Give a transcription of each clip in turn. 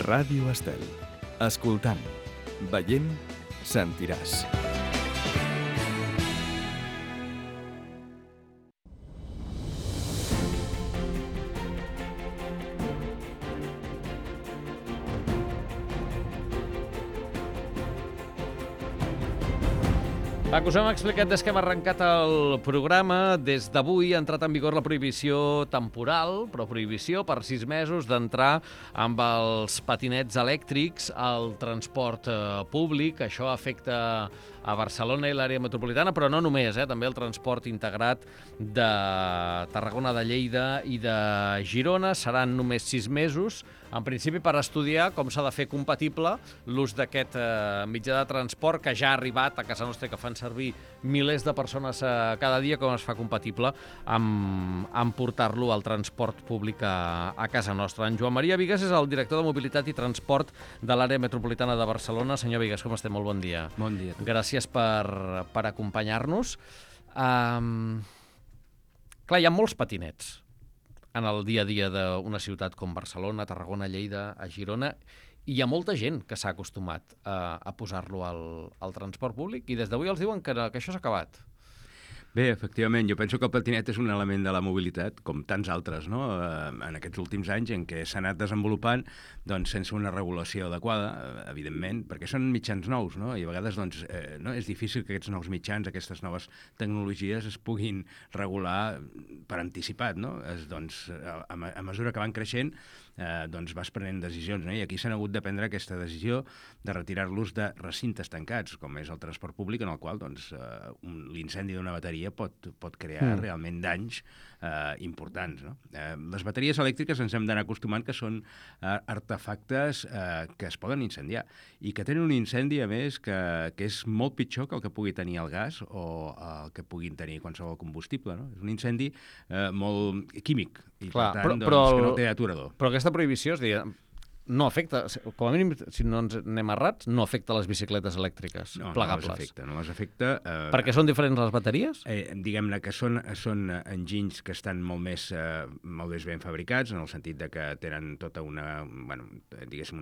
Ràdio Estel. Escoltant, veient, sentiràs. Que us hem explicat des que hem arrencat el programa. Des d'avui ha entrat en vigor la prohibició temporal, però prohibició per 6 mesos d'entrar amb els patinets elèctrics al transport públic. Això afecta a Barcelona i l'àrea metropolitana, però no només, també el transport integrat de Tarragona, de Lleida i de Girona. Seran només 6 mesos, en principi per estudiar com s'ha de fer compatible l'ús d'aquest mitjà de transport que ja ha arribat a casa nostra i que fan servir milers de persones cada dia, com es fa compatible amb portar-lo al transport públic a casa nostra. En Joan Maria Vigues és el director de Mobilitat i Transport de l'àrea metropolitana de Barcelona. Senyor Vigues, com estem? Molt bon dia. Bon dia. Gràcies per acompanyar-nos. Clar, hi ha molts patinets en el dia a dia d'una ciutat com Barcelona, Tarragona, Lleida, a Girona, i hi ha molta gent que s'ha acostumat a posar-lo al transport públic i des d'avui els diuen que això s'ha acabat. Bé, efectivament, jo penso que el patinet és un element de la mobilitat, com tants altres, no? En aquests últims anys en què s'ha anat desenvolupant doncs, sense una regulació adequada, evidentment, perquè són mitjans nous, no? I a vegades doncs, no? És difícil que aquests nous mitjans, aquestes noves tecnologies es puguin regular per anticipat, no? Doncs, a mesura que van creixent, doncs vas prenent decisions, no? I aquí s'han hagut de prendre aquesta decisió de retirar-los de recintes tancats, com és el transport públic, en el qual doncs, l'incendi d'una bateria pot crear realment danys importants, no? Les bateries elèctriques ens hem d'anar acostumant que són artefactes que es poden incendiar i que tenen un incendi, a més, que és molt pitjor que el que pugui tenir el gas o el que puguin tenir qualsevol combustible, no? És un incendi molt químic i, per tant, que no té aturador. Però aquesta prohibició, és dir, no afecta, com a mínim, si no ens anem errats, no afecta les bicicletes elèctriques plegables. No les afecta. Perquè són diferents les bateries? Diguem-ne que són enginys que estan molt més ben fabricats, en el sentit de que tenen tota una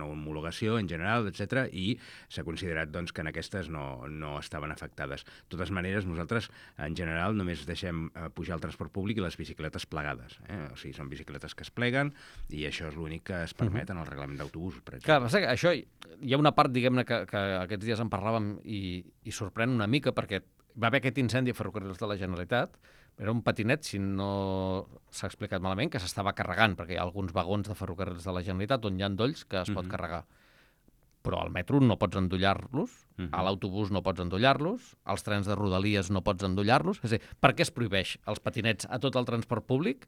homologació en general, etc. I s'ha considerat doncs, que en aquestes no estaven afectades. De totes maneres, nosaltres, en general, només deixem pujar el transport públic i les bicicletes plegades. O sigui, són bicicletes que es pleguen i això és l'únic que es permet en el reglament d'autobusos, per exemple. Clar, això hi ha una part, diguem-ne, que aquests dies en parlàvem i sorprèn una mica, perquè va haver aquest incendi a Ferrocarrils de la Generalitat. Era un patinet, si no s'ha explicat malament, que s'estava carregant, perquè hi ha alguns vagons de Ferrocarrils de la Generalitat on hi ha endolls que es pot carregar. Però al metro no pots endollar-los, a l'autobús no pots endollar-los, als trens de Rodalies no pots endollar-los. És a dir, per què es prohibeix els patinets a tot el transport públic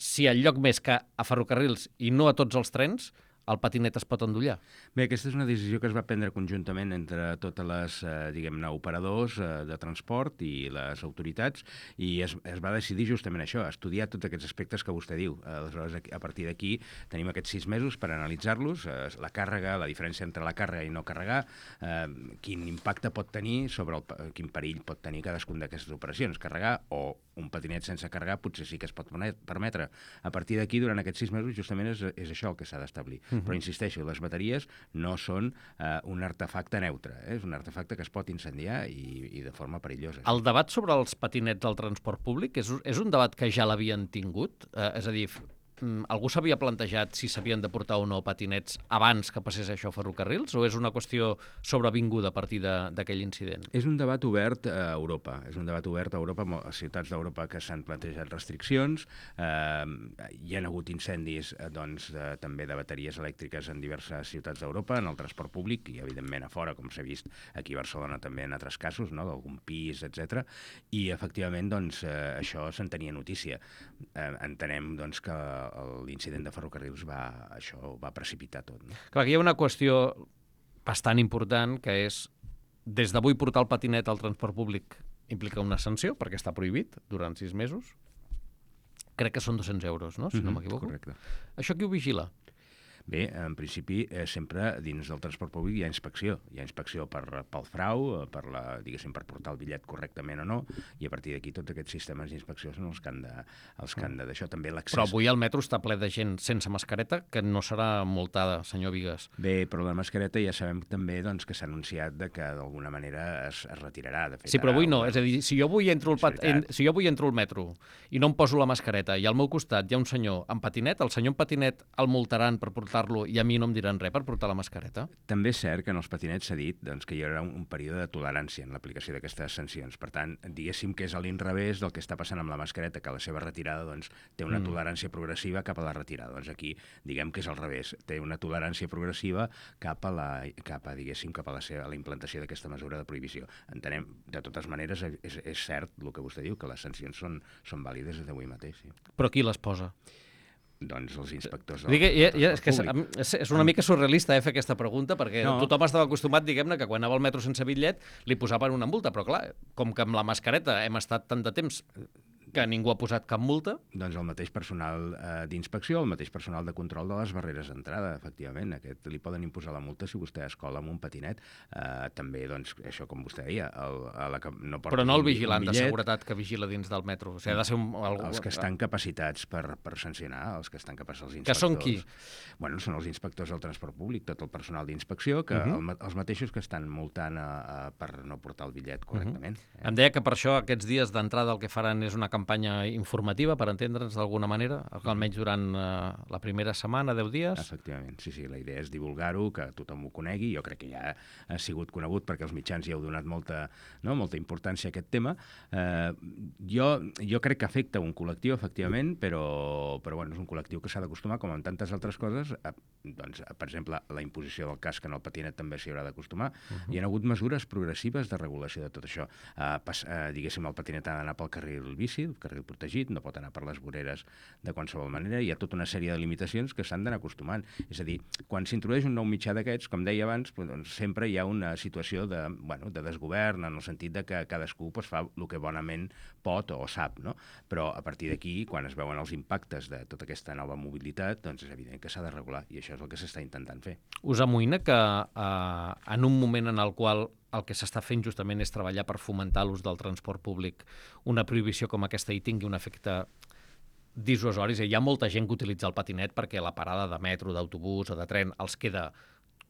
si al lloc més que a Ferrocarrils i no a tots els trens el patinet es pot endollar? Bé, aquesta és una decisió que es va prendre conjuntament entre totes les, diguem-ne, operadors de transport i les autoritats, i es va decidir justament això, estudiar tots aquests aspectes que vostè diu. Aleshores, a partir d'aquí tenim aquests 6 mesos per analitzar-los, la càrrega, la diferència entre la càrrega i no carregar, quin impacte pot tenir quin perill pot tenir cadascun d'aquestes operacions. Carregar o un patinet sense carregar potser sí que es pot permetre. A partir d'aquí, durant aquests 6 mesos, justament és això el que s'ha d'establir. Però insisteixo, les bateries no són un artefacte neutre, és un artefacte que es pot incendiar i de forma perillosa. El debat sobre els patinets al transport públic és un debat que ja l'havien tingut? És a dir, algú s'havia plantejat si s'havien de portar o no patinets abans que passés això a Ferrocarrils, o és una qüestió sobrevinguda a partir d'aquell incident? És un debat obert a Europa. És un debat obert a Europa, a ciutats d'Europa que s'han plantejat restriccions. Hi ha hagut incendis també de bateries elèctriques en diverses ciutats d'Europa, en el transport públic i, evidentment, a fora, com s'ha vist aquí a Barcelona també en altres casos, no? D'algun pis, etc. I, efectivament, això se'n tenia notícia. Entenem que l'incident de Ferrocarrils va precipitar tot. No? Clar, aquí hi ha una qüestió bastant important, que és, des d'avui portar el patinet al transport públic implica una sanció, perquè està prohibit durant 6 mesos. Crec que són 200 euros, no? Si no m'equivoco. Correcte. Això qui ho vigila? Bé, en principi, sempre dins del transport públic hi ha inspecció. Hi ha inspecció pel frau, diguéssim, per portar el bitllet correctament o no, i a partir d'aquí tots aquests sistemes d'inspecció són els que han de d'això. També l'accés... Però avui el metro està ple de gent sense mascareta que no serà multada, senyor Vigues. Bé, però la mascareta ja sabem també doncs, que s'ha anunciat que d'alguna manera es retirarà. De fet, Sí, però avui no. És a dir, si jo avui entro al metro i no em poso la mascareta i al meu costat hi ha un senyor amb patinet, el senyor amb patinet el multaran per portar-lo i a mi no em diran res per portar la mascareta? També és cert que en els patinets s'ha dit doncs, que hi haurà un període de tolerància en l'aplicació d'aquestes sancions. Per tant, diguéssim que és a l'inrevés del que està passant amb la mascareta, que la seva retirada doncs, té una tolerància progressiva cap a la retirada. Doncs aquí, diguem que és al revés. Té una tolerància progressiva cap a la implantació d'aquesta mesura de prohibició. Entenem, de totes maneres, és cert el que vostè diu, que les sancions són vàlides des d'avui mateix. Sí. Però qui les posa? Doncs els inspectors és una mica surrealista fer aquesta pregunta, perquè tothom estava acostumat, diguem-ne, que quan anava al metro sense bitllet li posaven una multa, però clar, com que amb la mascareta hem estat tant de temps que ningú ha posat cap multa... Doncs el mateix personal d'inspecció, el mateix personal de control de les barreres d'entrada, efectivament. Aquest li poden imposar la multa si vostè es cola amb un patinet. També, doncs, això com vostè deia... Però no el vigilant de seguretat que vigila dins del metro. O sigui, ha de ser els que estan capacitats per sancionar, els que estan capacitats, els inspectors. Que són qui? Bueno, són els inspectors del transport públic, tot el personal d'inspecció, que els mateixos que estan multant per no portar el bitllet correctament. Em deia que per això aquests dies d'entrada el que faran és una campanya informativa, per entendre'ns d'alguna manera, almenys durant la primera setmana, 10 dies. Efectivament, sí, la idea és divulgar-ho, que tothom ho conegui. Jo crec que ja ha sigut conegut perquè els mitjans ja heu donat molta importància a aquest tema. Jo crec que afecta un col·lectiu, efectivament, però bueno, és un col·lectiu que s'ha d'acostumar, com en tantes altres coses, doncs, per exemple, la imposició del casc en el patinet també s'hi haurà d'acostumar. Hi ha hagut mesures progressives de regulació de tot això. Diguéssim, el patinet ha d'anar pel carril bici, el carril protegit, no pot anar per les voreres de qualsevol manera. Hi ha tota una sèrie de limitacions que s'han d'anar acostumant. És a dir, quan s'introdueix un nou mitjà d'aquests, com deia abans, doncs, sempre hi ha una situació de desgovern, en el sentit de que cadascú fa el que bonament pot o sap, no? Però a partir d'aquí, quan es veuen els impactes de tota aquesta nova mobilitat, doncs és evident que s'ha de regular, i això és el que s'està intentant fer. Us amoïna que en un moment en el qual el que s'està fent justament és treballar per fomentar l'ús del transport públic, una prohibició com aquesta hi tingui un efecte dissuasori? Hi ha molta gent que utilitza el patinet perquè la parada de metro, d'autobús o de tren els queda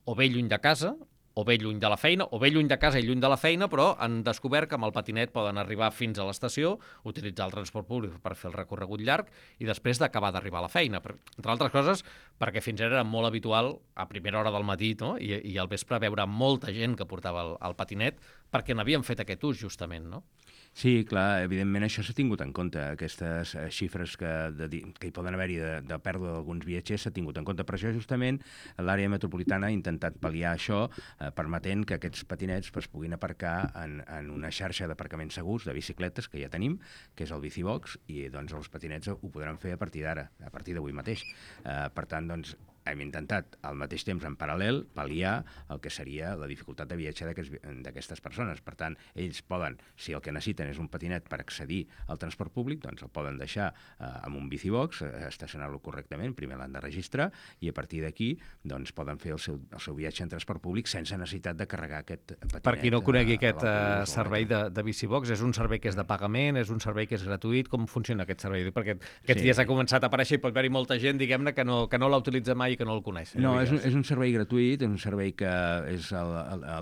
o bé lluny de casa, o bé lluny de la feina, o bé lluny de casa i lluny de la feina, però han descobert que amb el patinet poden arribar fins a l'estació, utilitzar el transport públic per fer el recorregut llarg i després d'acabar d'arribar a la feina. Entre altres coses, perquè fins ara era molt habitual a primera hora del matí, no? I al vespre veure molta gent que portava el patinet perquè n'havien fet aquest ús, justament, no? Sí, clar, evidentment això s'ha tingut en compte. Aquestes xifres que hi poden haver-hi de pèrdua d'alguns viatgers s'ha tingut en compte. Per això, justament, l'àrea metropolitana ha intentat pal·liar això, permetent que aquests patinets es puguin aparcar en una xarxa d'aparcaments segurs de bicicletes que ja tenim, que és el Bicibox, i doncs els patinets ho podran fer a partir d'ara, a partir d'avui mateix. Per tant, doncs, hem intentat al mateix temps en paral·lel pal·liar el que seria la dificultat de viatge d'aquestes persones. Per tant, ells poden, si el que necessiten és un patinet per accedir al transport públic, doncs el poden deixar amb un Bicibox, estacionar-lo correctament, primer l'han de registrar i a partir d'aquí doncs, poden fer el seu viatge en transport públic sense necessitat de carregar aquest patinet. Per qui no conegui aquest servei de Bicibox, és un servei que és de pagament, és un servei que és gratuït, com funciona aquest servei? Perquè aquests dies ha començat a aparèixer i pot haver-hi molta gent, diguem-ne, que no l'ha utilitzat mai i que no el coneix. No, és un servei gratuït, és un servei que és a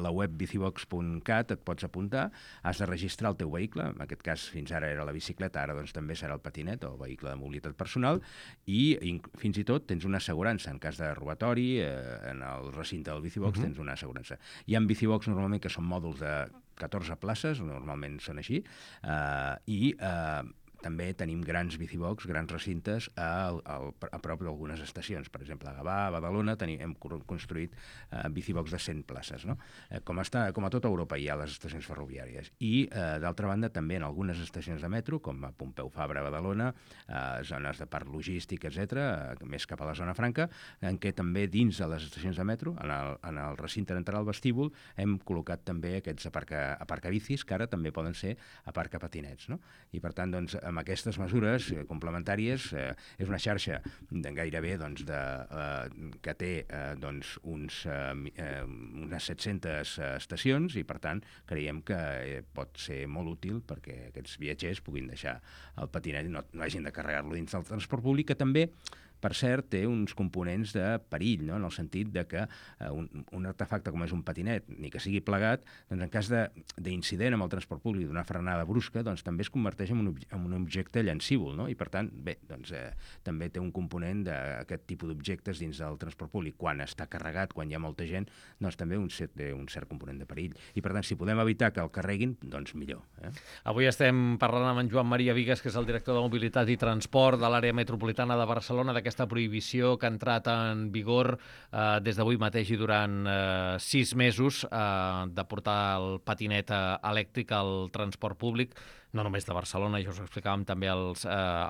la web bicibox.cat, et pots apuntar, has de registrar el teu vehicle, en aquest cas fins ara era la bicicleta, ara doncs també serà el patinet o el vehicle de mobilitat personal, i fins i tot tens una assegurança en cas de robatori, en el recinte del Bicibox tens una assegurança. Hi ha Bicibox normalment que són mòduls de 14 places, normalment són així, i també tenim grans Bicibox, grans recintes a prop d'algunes estacions. Per exemple, a Gavà, a Badalona, hem construït Bicibox de 100 places. No? Com a tota Europa hi ha les estacions ferroviàries. I, d'altra banda, també en algunes estacions de metro, com a Pompeu Fabra, a Badalona, zones de parc logístic, etc., més cap a la zona franca, en què també dins de les estacions de metro, en el recinte d'entrar al vestíbul, hem col·locat també aquests aparcabicis, que ara també poden ser aparcapatinets. No? I, per tant, doncs, amb amb aquestes mesures complementàries és una xarxa gairebé que té unes 700 estacions i, per tant, creiem que pot ser molt útil perquè aquests viatgers puguin deixar el patinet i no hagin de carregar-lo dins del transport públic, que també, per cert, té uns components de perill, no? En el sentit de que un artefacte com és un patinet, ni que sigui plegat, doncs en cas d'incident amb el transport públic, d'una frenada brusca, doncs també es converteix en un objecte llancívol, no? I per tant, bé, doncs també té un component d'aquest tipus d'objectes dins del transport públic. Quan està carregat, quan hi ha molta gent, doncs també té un cert component de perill. I per tant, si podem evitar que el carreguin, doncs millor. Avui estem parlant amb en Joan Maria Vigues, que és el director de Mobilitat i Transport de l'àrea metropolitana de Barcelona, d'aquesta prohibició que ha entrat en vigor des d'avui mateix i durant 6 mesos de portar el patinet elèctric al transport públic, no només de Barcelona, ja us ho explicàvem també a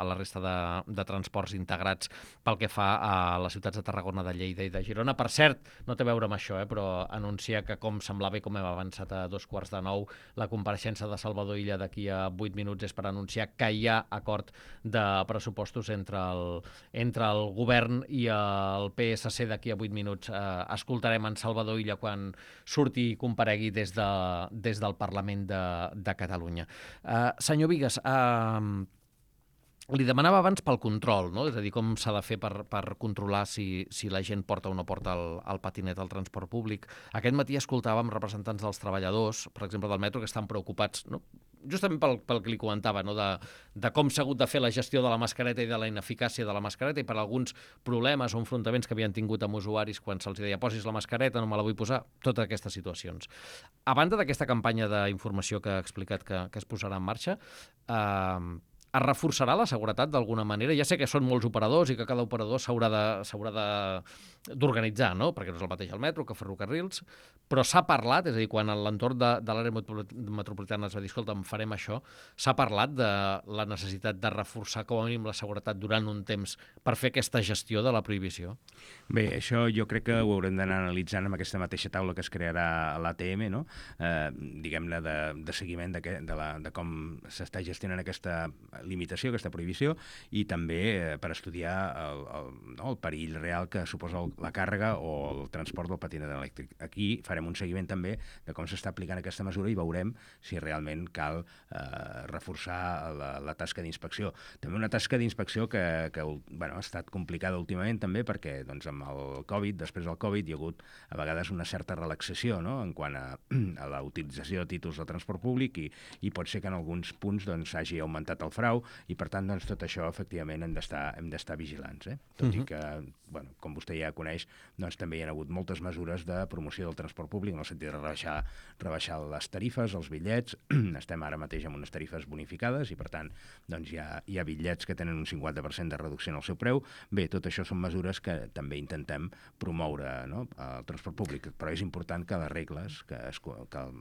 la resta de transports integrats pel que fa a les ciutats de Tarragona, de Lleida i de Girona. Per cert, no té a veure amb això, però anunciar que, com semblava i com hem avançat a 2:45, la compareixença de Salvador Illa d'aquí a 8 minuts és per anunciar que hi ha acord de pressupostos entre el govern i el PSC d'aquí a 8 minuts. Escoltarem en Salvador Illa quan surti i comparegui des del Parlament de Catalunya. Senyor Vigues, li demanava abans pel control, no? És a dir, com s'ha de fer per controlar si la gent porta o no porta el patinet al transport públic. Aquest matí escoltàvem representants dels treballadors, per exemple del metro, que estan preocupats, no? Justament pel que li comentava, no? de com s'ha hagut de fer la gestió de la mascareta i de la ineficàcia de la mascareta i per alguns problemes o enfrontaments que havien tingut amb usuaris quan se'ls deia posis la mascareta, no me la vull posar, totes aquestes situacions. A banda d'aquesta campanya d'informació que ha explicat que es posarà en marxa, es reforçarà la seguretat d'alguna manera? Ja sé que són molts operadors i que cada operador s'haurà d'organitzar, no? Perquè no és el mateix el metro que ferrocarrils, però s'ha parlat, és a dir, quan a l'entorn de l'àrea metropolitana es va dir, escolta, farem això, s'ha parlat de la necessitat de reforçar com a mínim la seguretat durant un temps per fer aquesta gestió de la prohibició? Bé, això jo crec que ho haurem d'anar analitzant amb aquesta mateixa taula que es crearà a l'ATM, no? Diguem-ne, de seguiment de com s'està gestionant aquesta limitació, aquesta prohibició, i també per estudiar el perill real que suposa la càrrega o el transport del patinet elèctric. Aquí farem un seguiment també de com s'està aplicant aquesta mesura i veurem si realment cal reforçar la tasca d'inspecció. També una tasca d'inspecció que ha estat complicada últimament també perquè amb el Covid, després del Covid, hi ha hagut a vegades una certa relaxació, no?, en quant a la utilització de títols de transport públic i pot ser que en alguns punts hagi augmentat el frau i per tant tot això efectivament hem d'estar vigilants. Tot i que, com vostè ja coneix, també hi ha hagut moltes mesures de promoció del transport públic en el sentit de rebaixar les tarifes, els bitllets. Estem ara mateix amb unes tarifes bonificades i per tant hi ha bitllets que tenen un 50% de reducció en el seu preu. Bé, tot això són mesures que també intentem promoure, no?, el transport públic, però és important que les regles, que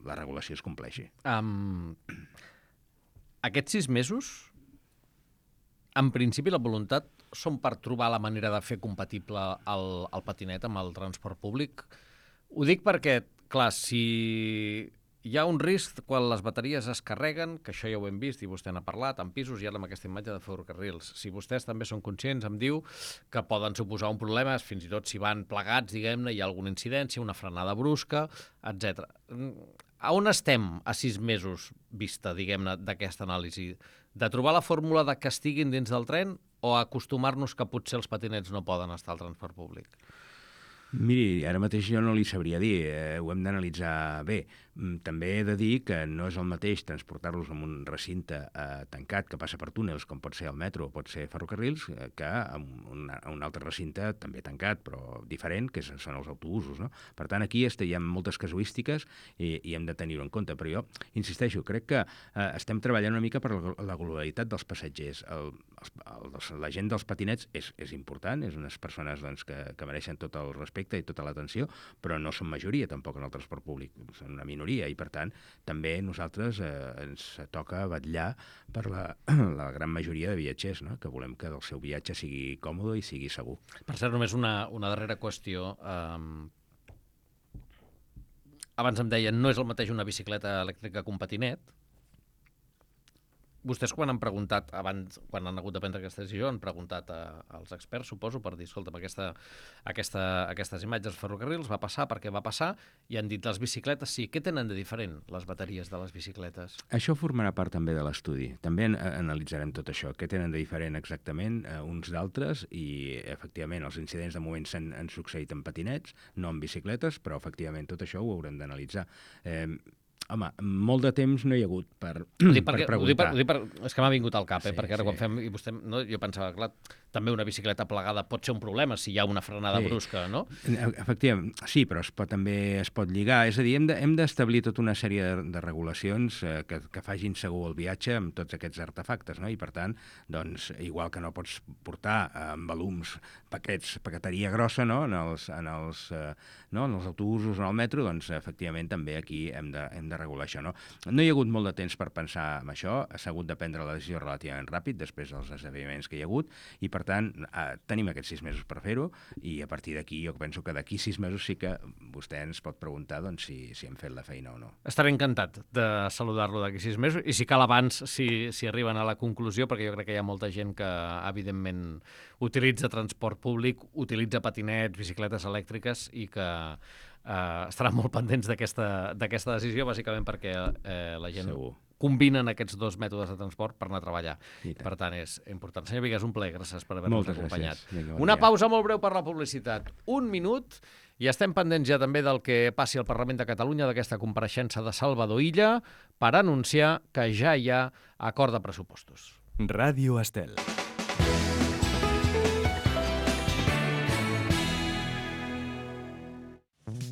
la regulació es compleixi. Aquests 6 mesos, en principi la voluntat són per trobar la manera de fer compatible el patinet amb el transport públic. Ho dic perquè, clar, si hi ha un risc quan les bateries es carreguen, que això ja ho hem vist i vostè n'ha parlat, en pisos i ara amb aquesta imatge de ferrocarrils. Si vostès també són conscients, em diu que poden suposar un problema, fins i tot si van plegats, diguem-ne, hi ha alguna incidència, una frenada brusca, etc. A on estem a 6 mesos vista, diguem-ne, d'aquesta anàlisi? De trobar la fórmula de que estiguin dins del tren o acostumar-nos que potser els patinets no poden estar al transport públic? Miri, ara mateix jo no li sabria dir, ho hem d'analitzar bé. També he de dir que no és el mateix transportar-los en un recinte tancat que passa per túnels, com pot ser el metro o pot ser ferrocarrils, que en un altre recinte també tancat, però diferent, que són els autobusos, no? Per tant, aquí hi ha moltes casuístiques i hem de tenir-ho en compte. Però jo insisteixo, crec que estem treballant una mica per la globalitat dels passatgers. La gent dels patinets és important, és unes persones que mereixen tot el respecte i tota l'atenció, però no són majoria tampoc en el transport públic, són una minoria i per tant també nosaltres ens toca vetllar per la gran majoria de viatgers, no?, que volem que el seu viatge sigui còmode i sigui segur. Per cert, només una darrera qüestió. Abans em deien, no és el mateix una bicicleta elèctrica que un patinet. Vostès quan han preguntat, abans, quan han hagut de prendre aquesta decisió, han preguntat als experts, suposo, per dir, escolta'm, aquestes imatges dels ferrocarrils va passar perquè va passar, i han dit les bicicletes, sí, què tenen de diferent les bateries de les bicicletes? Això formarà part també de l'estudi. També analitzarem tot això, què tenen de diferent exactament uns d'altres, i efectivament els incidents de moment han succeït en patinets, no en bicicletes, però efectivament tot això ho haurem d'analitzar. Home, molt de temps no hi ha hagut per preguntar. És que m'ha vingut al cap, perquè ara quan fem... I vostè, no, jo pensava, clar, també una bicicleta plegada pot ser un problema si hi ha una frenada brusca, no? Efectivament, sí, però també es pot lligar. És a dir, hem d'establir tota una sèrie de regulacions que facin segur el viatge amb tots aquests artefactes, no? I per tant, doncs, igual que no pots portar amb volums paqueteria grossa, no? En els autobusos o en el metro, doncs, efectivament, també aquí hem de regular això, no? No hi ha hagut molt de temps per pensar en això, s'ha hagut de prendre la decisió relativament ràpid després dels esdeveniments que hi ha hagut, i per tant tenim aquests 6 mesos per fer-ho, i a partir d'aquí jo penso que d'aquí 6 mesos sí que vostè ens pot preguntar doncs, si hem fet la feina o no. Estaré encantat de saludar-lo d'aquí 6 mesos, i si cal abans, si arriben a la conclusió, perquè jo crec que hi ha molta gent que evidentment utilitza transport públic, utilitza patinets, bicicletes elèctriques, i que estaran molt pendents d'aquesta decisió, bàsicament perquè la gent combinen aquests dos mètodes de transport per anar a treballar. Per tant, és important. Senyor Bigues, un plaer, gràcies per haver-nos acompanyat. Una pausa molt breu per la publicitat. 1 minut, i estem pendents ja també del que passi al Parlament de Catalunya, d'aquesta compareixença de Salvador Illa, per anunciar que ja hi ha acord de pressupostos. Ràdio Estel.